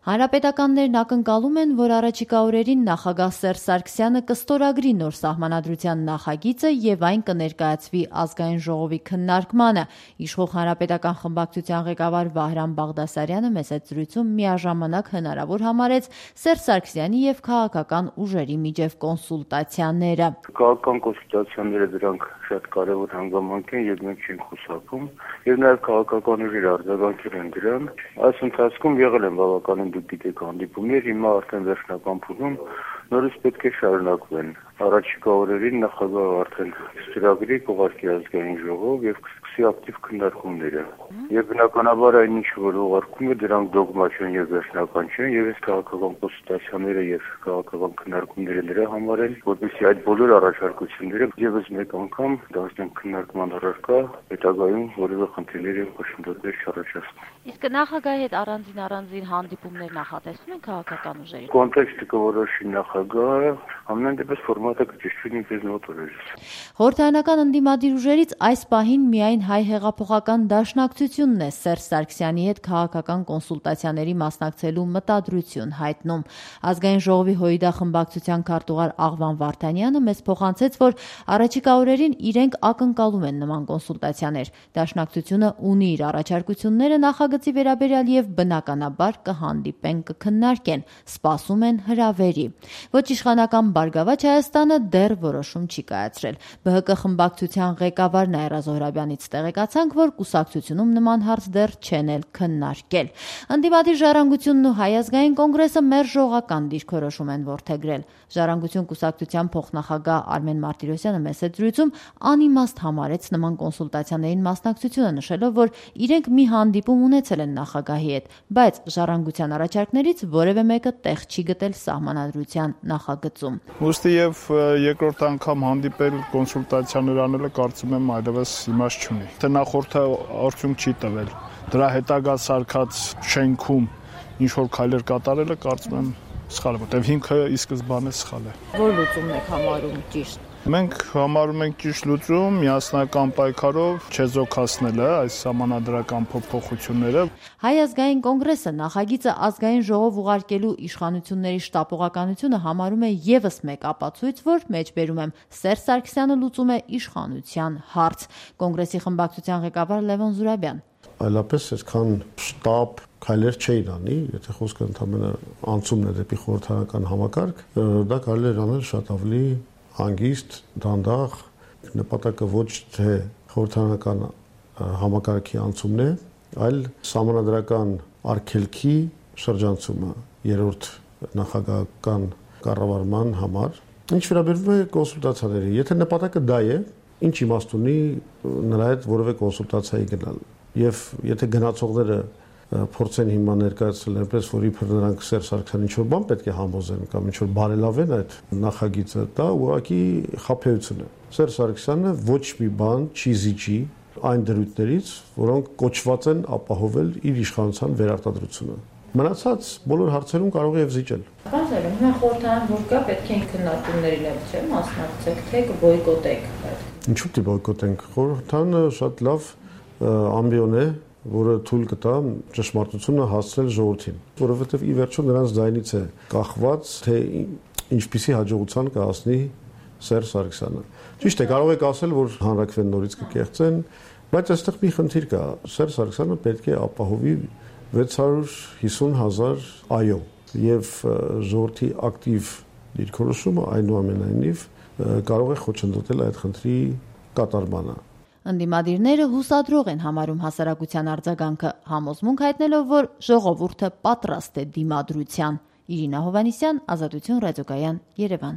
Հանրապետականներն ակնկալում են, որ առաջիկա օրերին նախագահ Սերժ Սարգսյանը կստորագրի նոր սահմանադրության նախագիծը եւ այն կներկայացվի ազգային ժողովի քննարկմանը։ Իշխող հանրապետական խմբակցության ղեկավար Վահրամ Բաղդասարյանը մեծ զրույցում միաժամանակ հնարավոր համարեց Սերժ Սարգսյանի եւ քաղաքական ուժերի միջև կոնսուլտացիաները։ Քաղաքական կոնսուլտացիաները դրանք շատ կարևոր հանգամանք են եւ մենք չենք խուսափում եւ նաեւ քաղաքական ուժերը արձագանքել են դրան։ Այս ընթացքում եղել են բավականին դուք գիտեք հանդիպումներ, հիմա արդեն վերջնական փուլում նորից պետք է շարունակվեն։ Առաջիկա օրերին նախագահը արդեն ծրագրի կուղարկի ազգային ժողով եւ կսկսի ակտիվ քննարկումները։ Եվ բնականաբար այն ինչ որ ուղարկում է դրանք դոգմա չեն եւ վերջնական չեն եւ այս քաղաքական կոնսուլտացիաները եւ քաղաքական քննարկումները նրա համար են, որպեսզի այդ բոլոր առաջարկությունները եւս մեկ անգամ դարձնեն քննարկման առարկա, հետագայում որևէ խնդիրներ եւ խոշորներ չառաջացնեն։ Իսկ նախագահի հետ առանձին հանդիպումներ նախատեսվում են քաղաքական ուժերի։ Կոնտեքստը կորոշի նախագահը, ամեն դեպս ֆորմատը կճշտվի նույնպես նոտրերից։ Խորհրդարանական ընդդիմադիր ուժերից այս պահին միայն Հայ հեղափոխական դաշնակցությունն է Սերժ Սարգսյանի հետ քաղաքական կոնսուլտացիաների մասնակցելու մտադրություն հայտնում։ Ազգային ժողովի ՀՅԴ խմբակցության քարտուղար Աղվան Վարդանյանը մեզ փոխանցեց, որ առաջիկա օրերին իրենք ակնկալում են նման կոնսուլտացիաներ։ Դաշնակցությունը ունի իր առաջարկությունները նախագծի վերաբերյալ եւ բնականաբար կհանդիպեն, կքննարկեն, սպասում են հրավերի։ Ոչ իշխանական Բարգավաճ Հայաստանը դեռ որոշում չի կայացրել։ ԲՀԿ խմբակցության ղեկավար Նաիրա Զոհրաբյանից տեղեկացանք, որ կուսակցությունում նման հարց դեռ չեն էլ քննարկել։ Ընդդիմադիր Ժառանգությունն ու Հայ ազգային կոնգրեսը մերժողական դիրքորոշում են որդեգրել։ Ժառանգություն կուսակցության փոխնախագահ Արմեն Մարտիրոսյանը մեծ զրույցում անիմաստ համարեց նման կոնսուլտացիաներին մասնակցությունը, նշելով, որ իրենք մի հանդիպում ունեցել են նախագահի հետ, բայց Ժառանգության առաջարկներից որևէ մեկը տեղ չի գտել սահմանադրության նախագծում։ Ուստի եւ երկրորդ անգամ հանդիպել կոնսուլտացիաներ անելը կարծում եմ այլևս իմաստ չունի։ Թե նախորդը արդյունք չի տվել։ Դրա հետագա սարքած շենքում ինչ որ քայլեր կատարելը կարծում եմ սխալ է, որտեղ հիմքը ի սկզբանե սխալ է։ Որ լուծումն եք համարում ճիշտ։ Մենք համարում ենք ճիշտ լուծում միասնական պայքարով չեզոքացնելը այս սահմանադրական փոփոխությունները։ Հայ ազգային կոնգրեսը նախագիծը ազգային ժողով ուղարկելու իշխանությունների շտապողականությունը համարում է եւս մեկ ապացույց, որ մեջբերում եմ Սերժ Սարգսյանը լուծում է իշխանության հարց։ Կոնգրեսի խմբակցության ղեկավար Լևոն Զուրաբյան։ Այլապես այսքան շտապ քայլեր չէին անի, եթե խոսքը ընդհանրապես անցումն է դեպի խորհրդարանական համակարգ, դա կարելի է անել շատ ավելի հանգիստ, դանդաղ, նպատակը ոչ թե խորհրդարանական համակարգի անցումն է, այլ սահմանադրական արգելքի շրջանցումը երրորդ նախագահական կառավարման համար։ Ինչ վերաբերում է կոնսուլտացիաների, եթե նպատակը դա է, ինչ իմաստ ունի նրա հետ որևէ կոնսուլտացիայի գնալ։ Եվ եթե գնացողները փորձեն հիմա ներկայացնել այնպես, որ իբր նրանք Սերժ Սարգսյանի ինչ-որ բան պետք է համոզեն կամ ինչ-որ բարելավեն այդ նախագիծը, դա ուղղակի խաբեություն է։ Սերժ Սարգսյանը ոչ մի բան չի զիջի այն դրույթներից, որոնք կոչված են ապահովել իր իշխանության վերարտադրությունը։ Մնացած բոլոր հարցերում կարող է եւ զիջել։ Բարձր հիմա խորհրդարան որ կա, պետք է քննարկումներին էլ չէ մասնակցեք, թե կբոյկոտեք։ Ինչու՞ պիտի բոյկոտենք։ Խորհրդարանը շատ լավ ամբիոն է, որը թույլ կտա ճշմարտությունը հասցնել ժողովրդին, որովհետև ի վերջո նրանց ձայնից է կախված, թե ինչպիսի հաջողության կհասնի Սերժ Սարգսյանը։ Ճիշտ է, կարող եք ասել, որ հանրակրվեն նորից կկեղծեն, բայց այստեղ մի խնդիր կա։ Սերժ Սարգսյանը պետք է ապահովի 650,000 այո, եւ ժողովրդի ակտիվ դիրքորոշումը այնուամենայնիվ կարող է խոչընդոտել այդ խնդրի կատարմանը։ Ընդդիմադիրները հուսադրող են համարում հասարակության արձագանքը, համոզմունք հայտնելով, որ ժողովուրդը պատրաստ է դիմադրության։ Իրինա Հովհաննիսյան, Ազատություն ռադիոկայան, Երևան։